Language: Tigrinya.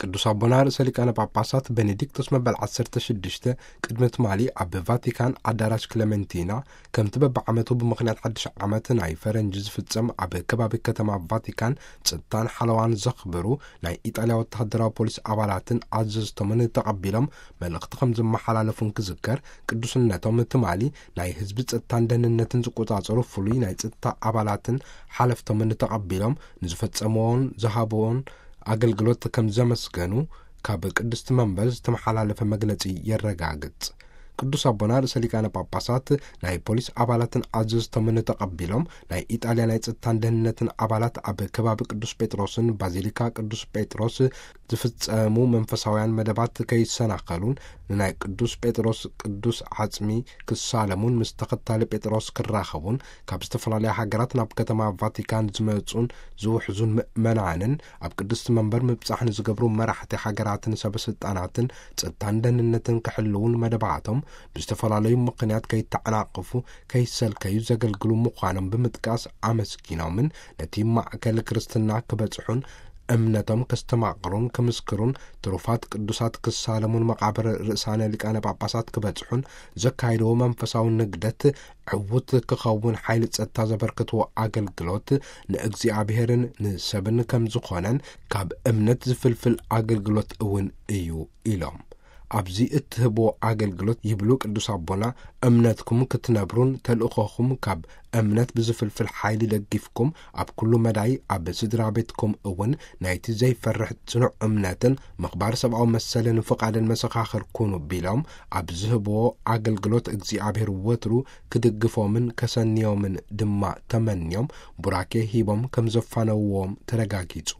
ቅዱስ ኣቦና ርእሰ ሊቃነ ጳጳሳት ቤኔዲክቶስ መበል ዓሰርተ ሽዱሽተ ቅድሚ ትማሊ ኣብ ቫቲካን ኣዳራሽ ክለመንቲና፣ ከምቲ በብዓመቱ ብምኽንያት ሓድሽ ዓመት ናይ ፈረንጂ ዝፍጸም፣ ኣብ ከባቢ ከተማ ቫቲካን ጸጥታን ሓለዋን ዘኽብሩ ናይ ኢጣልያ ወተሃደራዊ ፖሊስ ኣባላትን ኣዘዝቶምን ተቐቢሎም መልእኽቲ ከም ዘመሓላለፉን ክዝከር፣ ቅዱስነቶም ትማሊ ናይ ህዝቢ ጸጥታን ደህንነትን ዝቆጻጸሩ ፍሉይ ናይ ጸጥታ ኣባላትን ሓለፍቶምን ተቐቢሎም ንዝፈጸምዎን ዝሃብዎን ኣገልግሎት ከም ዘመስገኑ ካብ ቅድስቲ መንበር ዝተመሓላለፈ መግለጺ የረጋግጽ። ቅዱስ ኣቦና ርእሰ ሊቃነ ጳጳሳት ናይ ፖሊስ ኣባላትን ኣዘዝቶምን ተቐቢሎም፣ ናይ ኢጣልያ ናይ ጸጥታን ደህንነትን ኣባላት ኣብ ከባቢ ቅዱስ ጴጥሮስን ባዚሊካ ቅዱስ ጴጥሮስ ዝፍጸሙ መንፈሳውያን መደባት ከይሰናኸሉን ንናይ ቅዱስ ጴጥሮስ ቅዱስ ዓጽሚ ክሳለሙን ምስ ተኸታሊ ጴጥሮስ ክራኸቡን ካብ ዝተፈላለያ ሃገራት ናብ ከተማ ቫቲካን ዝመጹን ዝውሕዙን ምእመናንን ኣብ ቅድስቲ መንበር ምብጻሕ ንዝገብሩ መራሕቲ ሃገራትን ሰበ ስልጣናትን ጸጥታን ደህንነትን ክሕልውን መደባቶም ብዝተፈላለዩ ምኽንያት ከይተዓናቕፉ ከይሰልከዩ ዘገልግሉ ምዃኖም ብምጥቃስ ኣመስጊኖምን ነቲ ማእከል ክርስትና ክበጽሑን እምነቶም ከስተማቕሩን ክምስክሩን ትሩፋት ቅዱሳት ክሳለሙን መቓብር ርእሳነ ሊቃነ ጳጳሳት ክበጽሑን ዘካይድዎ መንፈሳዊ ንግደት ዕዉት ክኸውን ሓይሊ ጸጥታ ዘበርክትዎ ኣገልግሎት ንእግዚኣብሔርን ንሰብን ከም ዝኾነን ካብ እምነት ዝፍልፍል ኣገልግሎት እውን እዩ ኢሎም። ኣብዚ እትህብዎ ኣገልግሎት ይብሉ ቅዱስ ኣቦና፣ እምነትኩም ክትነብሩን ተልእኾኹም ካብ እምነት ብዝፍልፍል ሓይሊ ደጊፍኩም ኣብ ኩሉ መዳይ ኣብ ስድራ ቤትኩም እውን ናይቲ ዘይፈርሕ ጽኑዕ እምነትን ምኽባር ሰብኣዊ መሰልን ፍቓድን መሰኻኽር ኩኑ ቢሎም ኣብ ዝህብዎ ኣገልግሎት እግዚኣብሔር ወትሩ ክድግፎምን ከሰንዮምን ድማ ተመንዮም ቡራኬ ሂቦም ከም ዘፋነውዎም ተረጋጊጹ።